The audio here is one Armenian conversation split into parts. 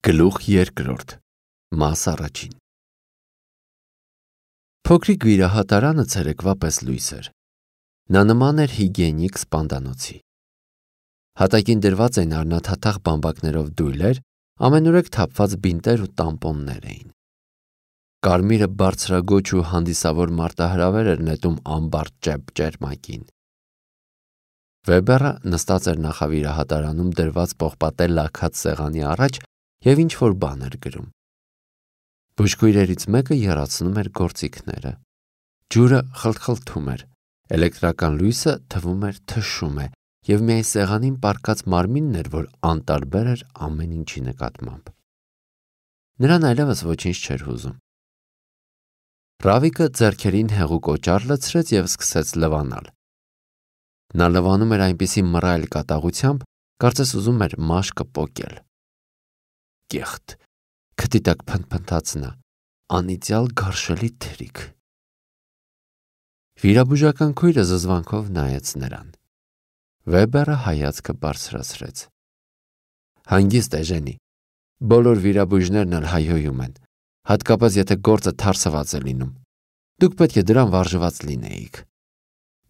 Գլուխ երկրորդ, մաս առաջին։ Փոքրիկ վիրահատարանը ցերեկվա պես լույս էր։ Նա նման էր հիգիենիկ սպանդանոցի։ Հատակին դրված էին առնաթաթախ բամբակներով դույլեր, ամենուրեք թափված բինտեր ու տամպոններ էին։ Կարմիրը բարձրագոչ ու հանդիսավոր մարտահրավեր էր նետում ամբարդ ճերմակին։ Վեբերը նստած էր նախավիրահատարանում դրված պողպատե լաքած սեղանի առաջ և ինչ-որ բան էր գրում։ Բուժքույրերից մեկը եռացնում էր գործիքները։ Ջուրը խլթխլթում էր, էլեկտրական լույսը թվում էր թշում է, և միայն սեղանին պառկած մարմինն էր, որ անտարբեր էր ամեն ինչի նկատմամբ։ Նրան այլևս ոչինչ չէր հուզում։ Ռավիկը ձեռքերին հեղուկ օճառ լցրեց և սկսեց լվանալ։ Նա լվանում էր այնպիսի մռայլ կատաղությամբ, կարծես ուզում էր մաշկը պոկել։ Կեղտ, քթի տակ փնթփնթաց նա, անիծյալ գարշելի թրիք։ Վիրաբուժական քույրը զզվանքով նայեց նրան։ Վեբերը հայացքը բարձրացրեց։ Հանգիստ Էժենի, բոլոր վիրաբույժներն էլ հայհոյում են, հատկապես եթե գործը թարսված է լինում։ Դուք պետք է դրան վարժված լինեիք։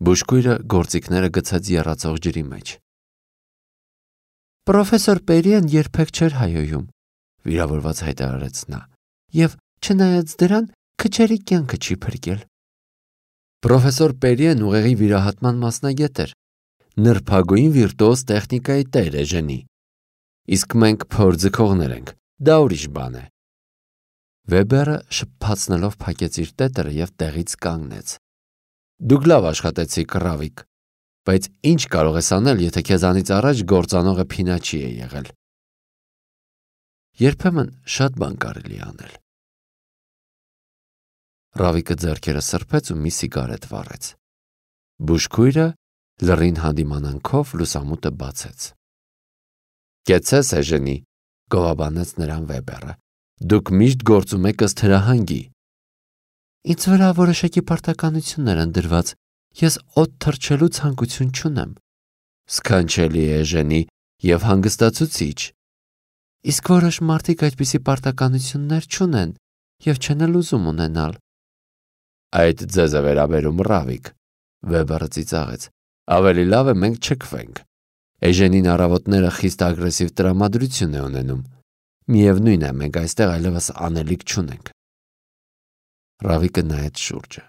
Բուժքույրը գործիքները գցեց եռացող ջրի մեջ։ Պրոֆեսոր Պերիեն երբեք չէր հայհոյում, վիրավորված հայտարարեց նա, և չնայած դրան, քչերի կյանքը չի փրկել։ Պրոֆեսոր Պերիեն ուղեղի վիրահատման մասնագետ էր, նրբագույն վիրտուոզ տեխնիկայի տեր Էժենի, իսկ մենք փորձքողներ ենք, դա ուրիշ բան է։ Վեբերը շփփացնելով փակեց իր տետերը և տեղից կանգնեց։ Դուք լավ աշխատեցիք, Ռավիկ, բայց ինչ կարող ես անել, եթե քեզանից առաջ գործանողը փինաչի է եղել։ Երբեմն շատ բան կարելի անել։ Ռավիկը ձեռքերը սրբեց ու մի սիգարետ վառեց։ Բուժքույրը լռին հանդիմանանքով լուսամուտը բացեց։ Կեցցես, Էժենի, գովաբանեց նրան Վեբերը, դուք միշտ գործում եք ըստ հրահանգի։ Ինձ վրա որոշակի պարտականություններ են դրված, ես օդ թռչելու ցանկություն չունեմ։ Սքանչելի է, Էժենի, և հանգստացուցիչ։ Իսկ որոշ մարդիկ այդպիսի պարտականություններ չունեն և չեն էլ ուզում ունենալ։ Այդ ձեզ է վերաբերում, Ռավիկ, Վեբերը ծիծաղեց, ավելի լավ է մենք չքվենք։ Էժենին առավոտները խիստ ագրեսիվ տրամադրություն է ունենում։ Միևնույն է, մենք այստեղ այլևս անելիք չունենք։ Ռավիկը նայեց շուրջը։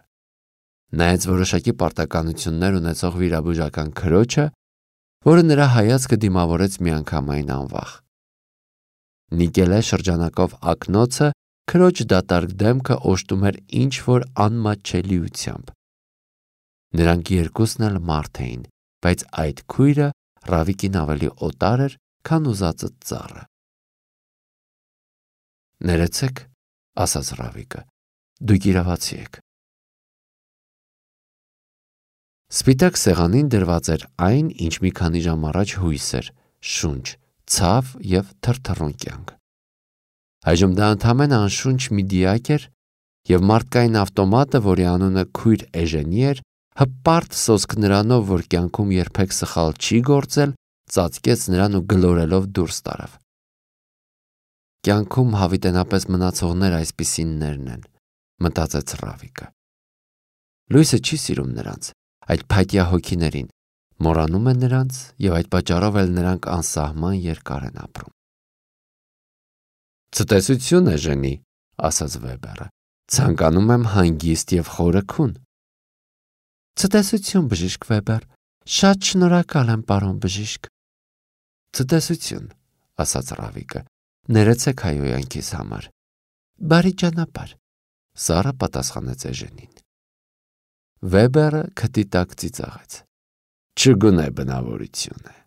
Նայեց որոշակի պարտականություններ ունեցող վիրաբուժական քրոջը, որը նրա հայացքը դիմավորեց միանգամայն անվախ։ Նիկելե շրջանակով ակնոցը քրոջ դատարկ դեմքը օժտում էր ինչ-որ անմատչելիությամբ։ Նրանք երկուսն էլ մարդ էին, բայց այդ քույրը Ռավիկին ավելի օտար էր, քան ուզածը ծառը։ Ներեցեք, ասաց Ռավիկը, դուք իրավացի եք։ Սպիտակ սեղանին դրված էր այն, ինչ մի քանի ժամ առաջ հույս էր, շունչ, ցավ և թրթռուն կյանք։ Այժմ դա ընդամենը անշունչ մի դիակ էր, և մարդկային ավտոմատը, որի անունը քույր Էժենի էր, հպարտ սոսկ նրանով, որ կյանքում երբեք սխալ չի գործել, ծածկեց նրան ու գլորելով դուրս տարավ։ Կյանքում հավիտենապես մնացողներ այսպիսիններն են, մտածեց Ռավիկը։ Լույսը չի սիրում նրանց, այդ փայտյա հոգիներին, մոռանում է նրանց և այդ պատճառով էլ նրանք անսահման երկար են ապրում։ Ցտեսություն, Էժենի, ասաց Վեբերը, ցանկանում եմ հանգիստ և խորը քուն։ Ցտեսություն, բժիշկ Վեբեր, շատ շնորհակալ եմ, պարոն բժիշկ։ Ցտեսություն, ասաց Ռավիկը, ներեցեք հայհոյանքիս համար։ Բարի ճանապարհ, սառը պատասխանեց Էժենին։ Վեբերը քթի տակ ծիծաղեց։ Չգունե բնավորություն է։